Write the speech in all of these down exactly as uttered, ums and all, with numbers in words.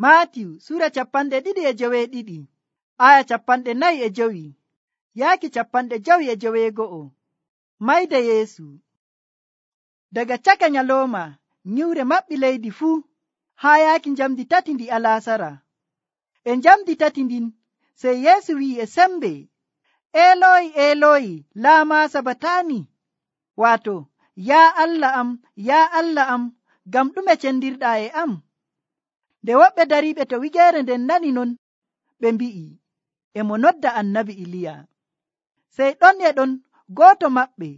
Maatiyu sura capanɗe ɗiɗi e joweeɗiɗi aya capanɗe nayi e jowi yaaki capanɗe jowi e joweego'o. Mayde Yeesu. Daga caka nyalooma nyiwre maɓɓi leydi fuu haa yaaki njamdi tati ndi alaasara. E njamdi tati ndin sey Yeesu wi'i e sembe, Eeloyi Eeloyi laama sabatani, waato yaa Allah am yaa Allah am ngam ɗume cendirɗaa e am. Nde woɓɓe dariiɓe to wigeere nden nani non, ɓe mbi'i e mo nodda annabi Iliya. Sey ɗon e ɗon gooto maɓɓe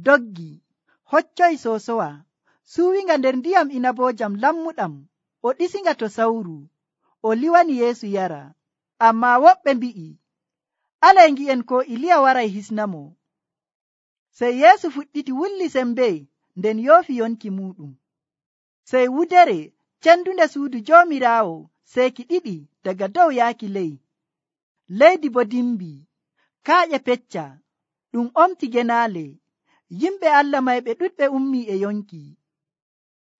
doggi hoccoyi soosowa suuwinga nder ndiyam inaboojam lammuɗam, o ɗisinga to sawru, o liwani Yeesu yara. Ammaa woɓɓe mbi'i, alay ngi'en ko Iliya waray hisnamo. Sey Yeesu fuɗɗiti wulli sembe nden yoofi yonki muɗum. Sey wudere cendunde suudu Joomiraawo seeki ɗiɗi daga dow yaaki ley. Leydi bo dimbi, kaaƴe pecca, ɗum omti genaale. Yimɓe Allah mayɓe ɗuɗɓe ummi e yonki.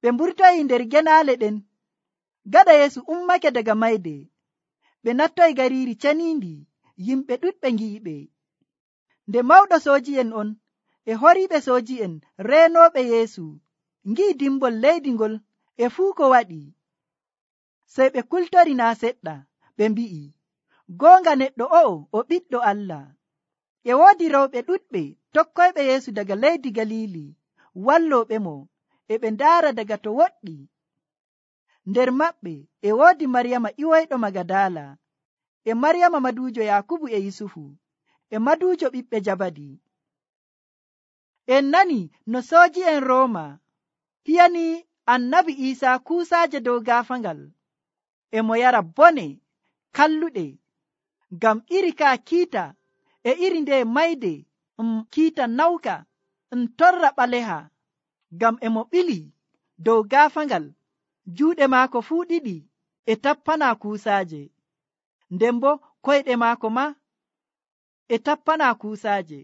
Ɓe mburtoyi nder genaale ɗen. Gaɗa Yeesu ummake daga mayde, ɓe nattoyi gariiri ceniindi, yimɓe ɗuɗɓe ngi'iɓe. Nde mawɗo sooji'en on e horiiɓe sooji'en reenooɓe Yeesu ngi'i dimbol leydi ngol e fuu ko waɗi, sey ɓe kultori naa seɗɗa, ɓe mbi'i, goonga neɗɗo o'o o ɓiɗɗo Allah. E woodi rewɓe ɗuɗɓe tokkoyɓe Yeesu daga leydi Galiili wallooɓemo, e ɓe ndaara daga to woɗɗi. Nder maɓɓe e woodi Maryama iwoyɗo Magadala, e Maryama maduujo Yakubu e Yusufu, e maduujo ɓiɓɓe Jabadi. En nani no sooji'en Rooma hiyani annabi Iisaa kuusaaje dow gaafangal, e mo yara bone kalluɗe, ngam iri kaa kiita e iri nde mayde um kiita nawka um torra ɓaleha, ngam e mo ɓili dow gaafangal, juuɗe maako fuu ɗiɗi e tappana kuusaaje, nden bo koyɗe maako ma e tappana kuusaaje.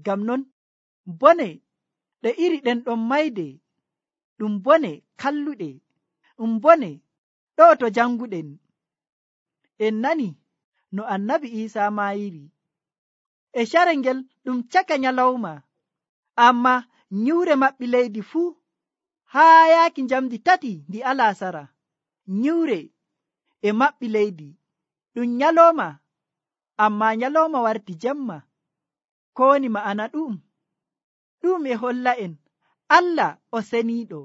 Ngam non bone ɗe iri ɗen ɗon mayde ɗum bone kalluɗe, ɗum bone ɗo to janguɗen. En nani no annabi Iisaa maayiri e carel ngel ɗum caka nyalawma, amma nyiwre maɓɓi leydi fuu haa yaaki njamdi tati ndi alaasara. Nyiwre e maɓɓi leydi ɗum nyalawma, amma nyalawma warti jemma. Ko woni ma'ana ɗum? Ɗum e holla en Allah o seniiɗo,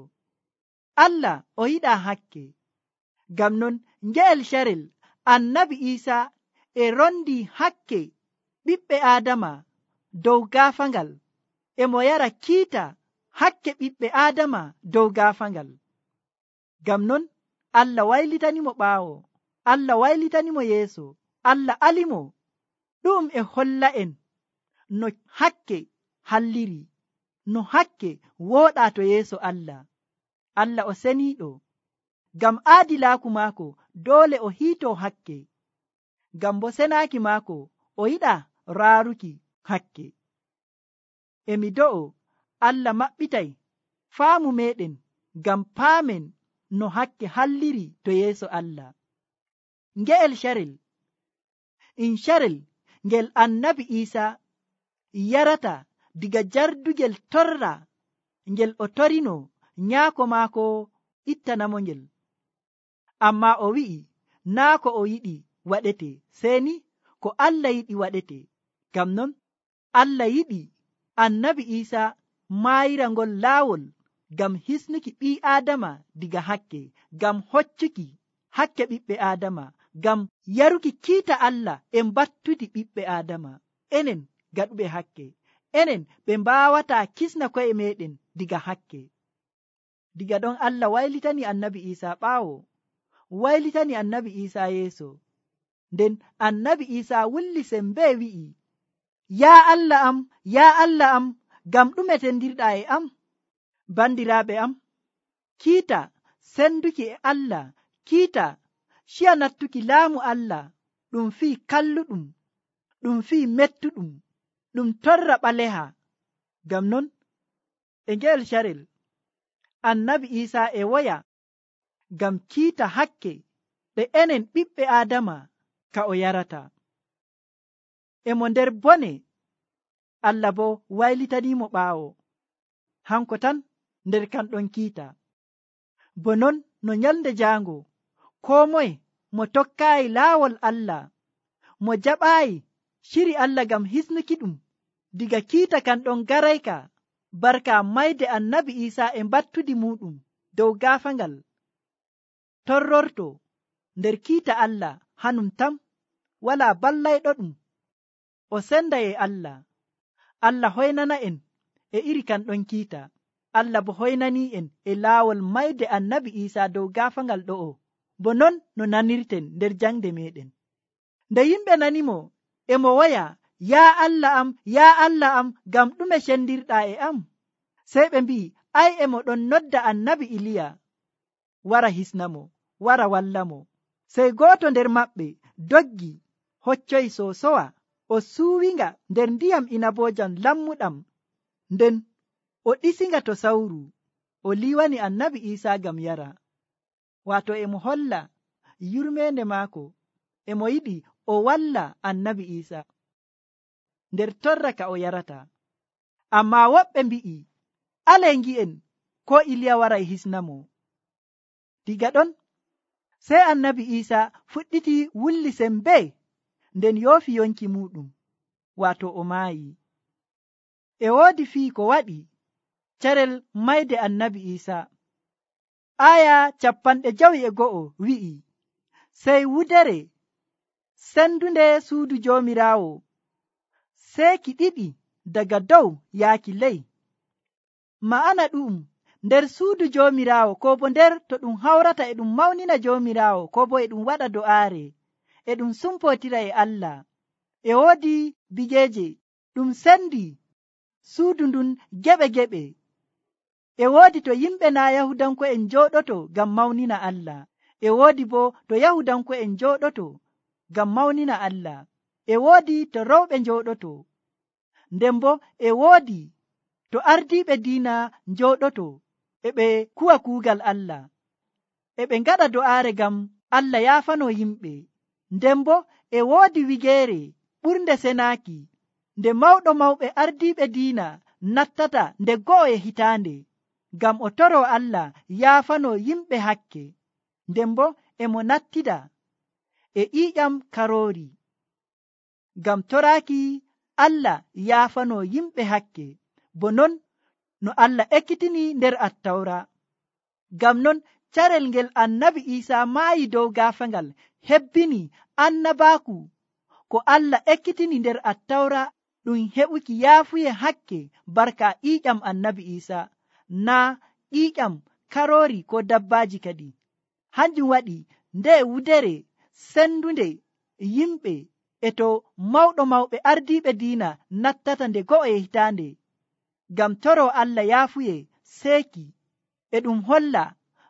Allah o yiɗaa hakke. Ngam non nge'el carel annabi Iisaa e rondi hakke ɓiɓɓe Aadama dow gaafangal, e mo yara kiita hakke ɓiɓɓe Aadama dow gaafangal. Ngam non Allah waylitanimo ɓaawo, Allah waylitanimo yeeso, Allah alimo. Ɗum e holla en no hakke halliri, no hakke wooɗaa to yeeso Allah. Allah o seniiɗo, ngam aadilaaku maako doole o hiitoo hakke, ngam bo senaaki maako o yiɗaa raaruki hakke. Emi do'o Allah maɓɓitay faamu meɗen ngam paamen no hakke halliri to yeeso Allah. Nge'el carel in carel ngel annabi Iisaa yarata diga jardugel torra ngel o torino nyaako maako ittanamo ngel. Amma o wi'i naa ko o yiɗi waɗete, seeni ko Allah yiɗi waɗete. Ngam non Allah yiɗi annabi Iisaa maayira ngol laawol ngam hisnuki ɓii Aadama diga hakke, ngam hoccuki hakke ɓiɓɓe Aadama, ngam yaruki kiita Allah e mbattude ɓiɓɓe Aadama. Enen gaɗuɓe hakke, enen ɓe mbaawata kisna ko'e meɗen diga hakke. Diga ɗon Allah waylitani annabi Iisaa ɓaawo, waylitani annabi Iisaa yeeso. Nden annabi Iisaa wulli sembe wi'i, yaa Allah am yaa Allah am ngam ɗume tendirɗaa e am? Bandiraaɓe am, kiita senduki e Allah, kiita ciya nattuki laamu Allah, ɗum fii kalluɗum, ɗum fii mettuɗum, ɗum torra ɓaleha. Ngam non e ngel carel annabi Iisaa e woya ngam kiita hakke ɗe enen ɓiɓɓe Aadama ka o yarata. Emo nder bone, Allah bo waylitanimo ɓaawo, hanko tan nder kan ɗon kiita. Bo non no nyalde jaango, koo moye mo tokkaayi laawol Allah, mo jaɓaayi shiri Allah ngam hisnuki ɗum diga kiita kan ɗon garayka barka mayde annabi Iisaa e battudi muɗum dow gaafangal, torrorto nder kiita Allah hanum tam, wala ballayɗo ɗum o senda e Allah. Allah hoynana en e iri kan ɗon kiita. Allah bo hoynani en e laawol mayde annabi Iisaa dow gaafangal ɗo'o, bo non no nanirten nder jangde meɗen. Nde yimɓe nanimo emo woya, yaa Allah am, yaa Allah am, ngam ɗume cendirɗaa e am? Sey ɓe mbi'i, ay emo ɗon nodda annabi Iliya wara hisnamo, wara wallamo. Sey gooto nder maɓɓe doggi hoccoyi sosowa, o suuwinga nder ndiyam inaboojam lammuɗam, nden o ɗisinga to sawru, o liwani annabi Iisaa ngam yara. Waato emo holla yurmeende maako, emo yiɗi o walla annabi Iisaa nder torra ka o yarata. Amma woɓɓe mbi'i, ale ngi'en ko Iliya waray hisnamo. Diga ɗon sey annabi Iisaa fuɗɗiti wulli sembe, nden yoofi yonki muɗum, waato o maayi. E woodi fii ko waɗi carel mayde annabi Iisaa. Aya capanɗe jawi e go'o wi'i, sey wudere sendunde suudu joomiraawo seeki ɗiɗi daga dow yaaki ley. Ma'ana ɗum, nder suudu joomiraawo, ko bo nder to ɗum hawrata e ɗum mawnina joomiraawo, ko bo e ɗum waɗa do'aare, e ɗum sumpotira e Allah, e woodi bigeeje ɗum sendi suudu ndun geɓe geɓe. E woodi to yimɓe na Yahudanko'en njooɗoto ngam mawnina Allah, e woodi bo to Yahudanko'en njooɗoto ngam mawnina Allah, e woodi to rewɓe njooɗoto, nden bo e woodi to ardiiɓe diina njooɗoto e ɓe kuwa kuugal Allah, e ɓe ngaɗa do'aare ngam Allah yaafano yimɓe. Nden bo e woodi wigeere ɓurnde senaaki nde mawɗo mawɓe ardiiɓe diina nattata nde go'o e hitaande, ngam o toro Allah yaafano yimɓe hakke. Nden bo emo nattida e ƴiiƴam karoori ngam toraaki Allah yaafano yimɓe hakke, bo non no Allah ekkitini nder Attawra. Ngam non carel ngel annabi Iisaa maayi dow gaafangal hebbini annabaaku ko Allah ekkitini nder Attawra ɗum heɓuki yaafuye hakke barka ƴiiƴam annabi Iisaa, naa ƴiiƴam karoori ko dabbaaji kadi. Hanjum waɗi nde wudere sendunde yimɓe e to mawɗo mawɓe ardiiɓe diina nattata nde go'o e hitaande ngam toro Allah yaafuye seeki, e ɗum holla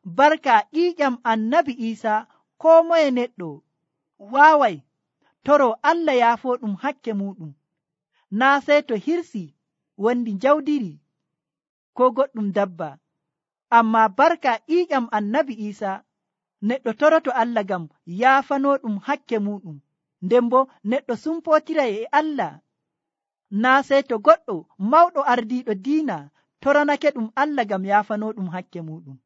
barka ƴiiƴam annabi Iisaa koo moye neɗɗo waaway toro Allah yaafo ɗum hakke muɗum, naa sey to hirsi wondi jawdiri ko goɗɗum dabba. Amma barka ƴiiƴam annabi Iisaa neɗɗo toroto Allah ngam yaafano ɗum hakke muɗum, nden bo neɗɗo sumpotiray e Allah, naa sey to goɗɗo mawɗo ardiiɗo diina toranake ɗum Allah ngam yaafano ɗum hakke muɗum.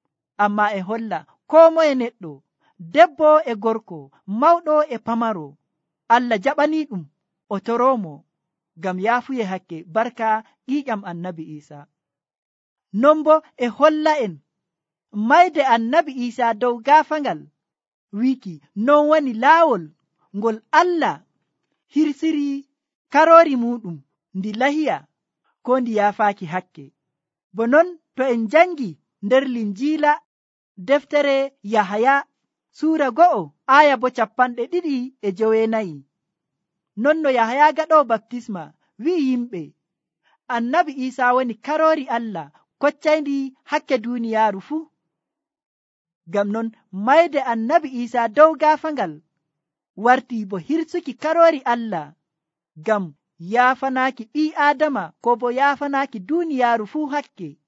Amma e holla koo moye neɗɗo, debbo e gorko, mawɗo e pamaro, Allah jaɓani ɗum o toromo ngam yaafuye hakke barka ƴiiƴam annabi Iisaa. Non bo e holla en mayde annabi Iisaa dow gaafangal wiki non woni laawol ngol Allah hirsiri karoori muɗum ndi lahiya ko ndi yaafaaki hakke. Bo non to en jangi nder Linjiila deftere Yahaya suura go'o aya bo capanɗe ɗiɗi e joweenayi, non no Yahaya gaɗoo baptisma wi'i yimɓe annabi Iisaa woni karoori Allah koccayndi hakke duuniyaaru fuu. Ngam non mayde annabi Iisaa dow gaafangal warti bo hirsuki karoori Allah ngam yaafanaaki ɓii Aadama ko bo yaafanaaki duuniyaaru fuu hakke.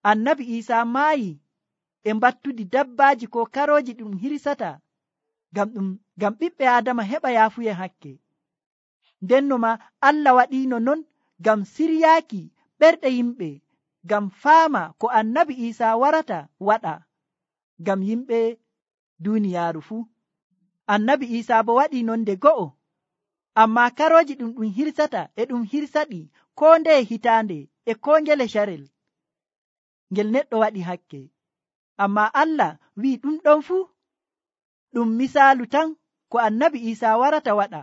Annabi Iisaa maayi e mbattudi dabbaaji ko karooji ɗum hirsata ngam ɗum ngam ɓiɓɓe adama heɓa yaafuye hakke. Ndenno ma Allah waɗino non ngam siryaaki ɓerɗe yimɓe, ngam faama ko annabi Isa warata waɗa ngam yimɓe duniyaaru fuu. Annabi Isa bo waɗi non nde go'o, amma karoji ɗum ɗum hirsata e ɗum hirsaɗi ko ndeye hitaande e ko ngele sharel ngel neɗɗo waɗi hakke. Amma Allah wi'i ɗum ɗon fuu ɗum misaalu tan ko annabi Isa warata waɗa.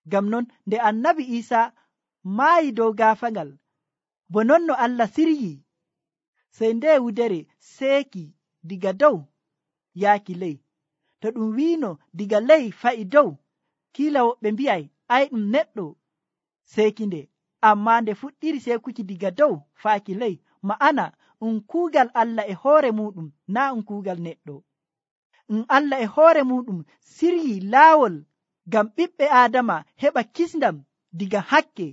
Ngam non nde annabi Isa maayi dow gaafangal, bo non no Allah siryi, sey nde wudere seeki diga dow yaaki ley. To ɗum wiino diga ley fa'i dow, kiila woɓɓe mbi'ay ay ɗum neɗɗo seekinde, amma nde fuɗɗiri seekuki diga dow faaki ley, ma'ana um kuugal Allah e hoore muɗum, naa um kuugal neɗɗo. Um Allah e hoore muɗum siryi laawol ngam ɓiɓɓe Aadama heɓa kisndam diga hakke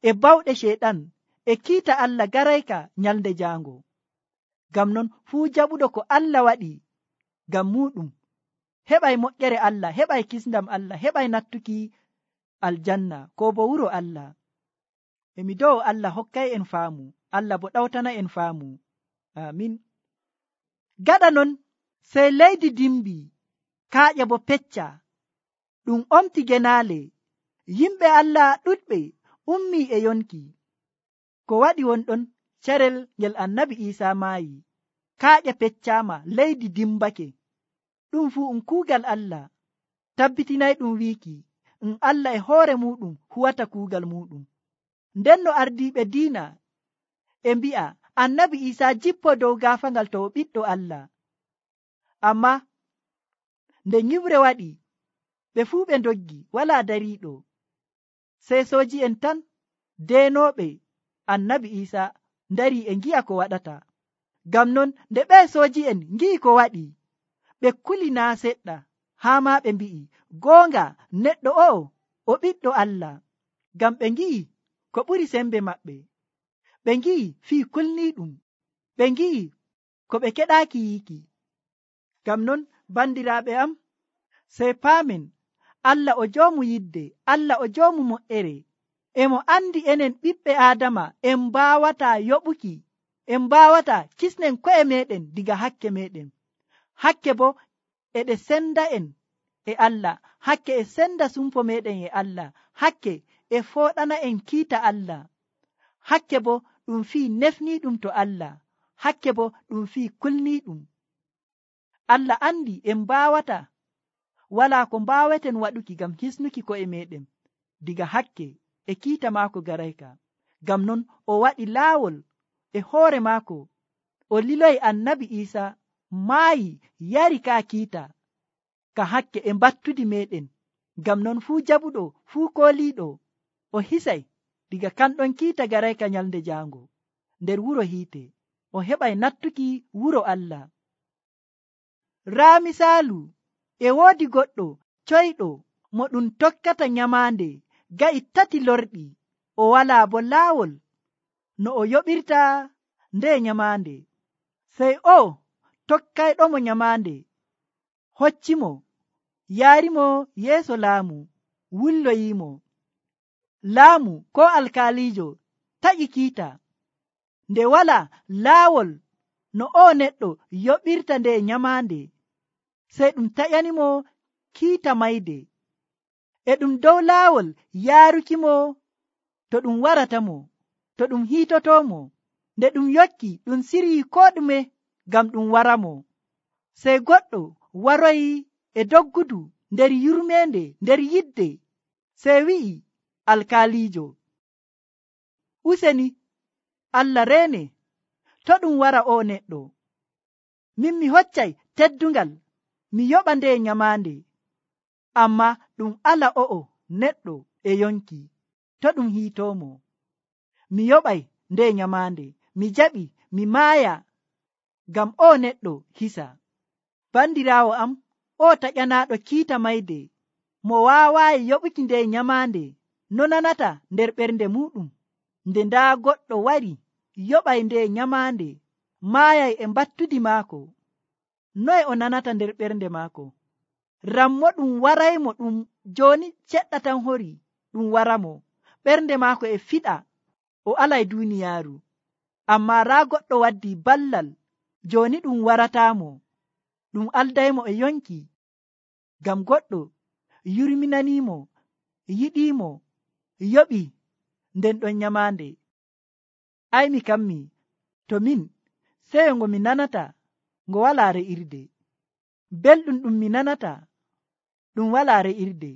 e bawɗe Ceyɗan e kiita Allah garayka nyalde jaango. Ngam non fuu jaɓuɗo ko Allah waɗi ngam muɗum heɓay moƴƴere Allah, heɓay kisndam Allah, heɓay nattuki aljanna ko bo wuro Allah. Emi dow Allah hokkay en faamu, Allah bo ɗawtana en faamu. Amin. Gaɗa non sey leydi dimbi, kaaƴe bo pecca, ɗum omti genaale, yimɓe Allah ɗuɗɓe ummi e yonki. Ko waɗi wonɗon carel ngel annabi Isa maayi, kaaƴe peccama, leydi dimbake. Ɗum fuu um kuugal Allah, tabbitinay ɗum wiiki um Allah e hoore muɗum huwata kuugal muɗum. Nden no ardiiɓe diina e mbi'a annabi Isa jippo dow gaafangal to o ɓiɗɗo Allah. Amma nde nyiwre waɗi, ɓe fuu ɓe ndoggi, walaa dariiɗo, sey sooji en tan deenooɓe annabi Isa ndari e ngi'a ko waɗata. Ngam non nde ɓe sooji en ngi'i ko waɗi, ɓe kuli naa seɗɗa, haa ma ɓe mbi'i goonga neɗɗo o'o o ɓiɗɗo Allah. Ngam ɓe ngi'i ko ɓuri sembe maɓɓe, ɓe ngi'i fii kulniiɗum, ɓe ngi'i ko ɓe keɗaaki yiiki. Ngam non bandiraaɓe am, sey paamen Allah o joomu yidde, Allah o joomu moƴƴere, emo andi enen ɓiɓɓe Aadama en mbaawata yoɓuki, en mbaawata kisnen ko'e meɗen diga hakke meɗen. Hakke bo eɗe senda en e Allah, hakke e senda sumpo meɗen e Allah, hakke e fooɗana en kiita Allah, hakke bo ɗum fii nefniiɗum to Allah, hakke bo ɗum fii kulniiɗum. Allah andi en mbaawata, walaa ko mbaaweten waɗuki ngam hisnuki ko'e meɗen diga hakke e kiita maako garayka. Ngam non o waɗi laawol e hoore maako, o liloyi annabi Isa maayi yari ka kiita ka hakke e mbattudi meɗen. Ngam non fuu jaɓuɗo, fuu kooliiɗo, o hisay diga kanɗon kiita garayka nyalde jaango nder wuro hiite, o heɓay nattuki wuro Allah. Raa misaalu, e woodi goɗɗo coyɗo mo ɗum tokkata nyamaande ga'i tati lorɗi, o walaa bo laawol no o yoɓirta nde nyamaande. Sey o tokkayɗomo nyamaande hoccimo, yaarimo yeeso laamu, wulloyimo. Laamu ko alkaalijo taƴi kiita, nde wala laawol no o neɗɗo yoɓirta nde nyamaande, sey ɗum taƴanimo kiita mayde, e ɗum dow laawol yaarukimo to ɗum waratamo, to ɗum hiitotomo. Nde ɗum yokki ɗum siryi ko ɗume ngam ɗum waramo, sey goɗɗo waroyi e doggudu nder yurmende, nder yidde, sey wi'i alkaalijo, useni Allah reene, to ɗum wara o neɗɗo, min mi hoccay teddungal mi yoɓa nde nyamaande, amma ɗum ala o'o neɗɗo e yonki, to ɗum hiitomo, mi yoɓay nde nyamaande, mi jaɓi mi maaya ngam o neɗɗo hisa. Bandiraawo am, o taƴanaaɗo kiita mayde, mo waawaayi yoɓuki nde nyamaande, no nanata nder ɓernde muɗum, nde ndaa goɗɗo wari yoɓay nde nyamaande, maayay e mbattudi maako, noye o nanata nder ɓernde maako? rammo ɗum waraymo ɗum joni seɗɗa tan hori ɗum waramo ɓernde maako e fiɗa o alay duniyaaru. Amma raa goɗɗo waddi ballal joni ɗum waratamo ɗum aldaymo e yonki ngam goɗɗo yurminanimo yiɗimo yoɓi nden ɗon nyamande. Ai mi kammi to min seyo ngo mi nanata ngo wala re'irde, belɗum ɗum mi nanata ɗum wala re'irde,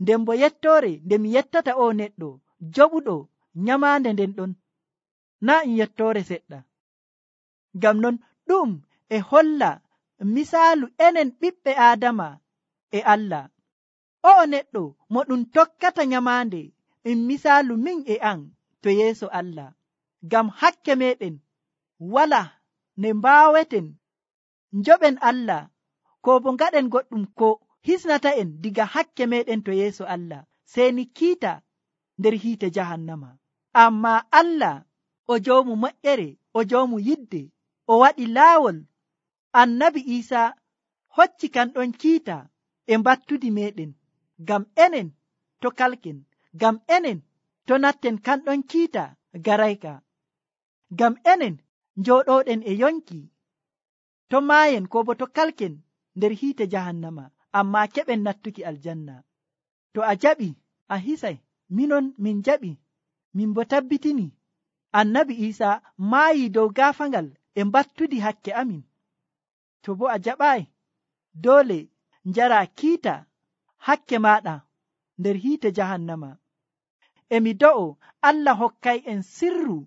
nden bo yettore nde mi yettata o neɗɗo joɓuɗo nyamande nden ɗon na in yettore seɗɗa. Ngam non ɗum e holla misaalu enen ɓiɓɓe Adama e Allah. O neɗɗo mo ɗum tokkata nyamande in misaalu min e an to yeeso Allah. Ngam hakke meɗen wala ne mbaweten njoɓen Allah ko bo ngaɗen goɗɗum ko hisnata en diga hakke meɗen to yeeso Allah, seni kiita nder hiite jahannama. Amma Allah o joomu moƴƴere, o joomu yidde, o waɗi laawol annabi Isa hocci kan ɗon kiita e battudi meɗen ngam enen to kalken, ngam enen to natten kan ɗon kiita garayka, ngam enen njoɗoɗen e yonki to maayen ko bo to kalken nder hiite jahannama, amma keɓen nattuki aljanna. To a jaɓi a hisay, minon min jaɓi, min bo tabbitini annabi Isa maayi dow gaafangal e battudi hakke amin. To bo a jaɓai dole njara kiita hakke maɗa nder hiite jahannama. Emi do'o Allah hokkay en sirru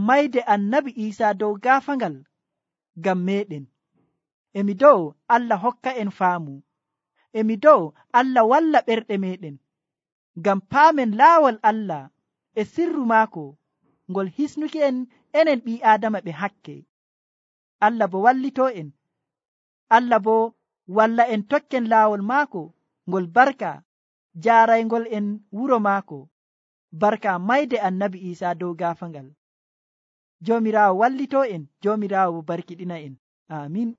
mayde annabi Isa dow gaafangal ngam meɗen. Emi do'o Allah hokka en faamu. Emi do'o Allah walla ɓerɗe meɗen ngam paamen laawol Allah e sirru maako ngol hisnuki en enen ɓi Adama ɓe hakke. Allah bo wallito en. Allah bo walla en tokken laawol maako ngol barka jaaraygol en wuro maako, barka mayde annabi Isa dow gaafangal. Joomiraawo wallito en, Joomiraawo barkiɗina en. Amin.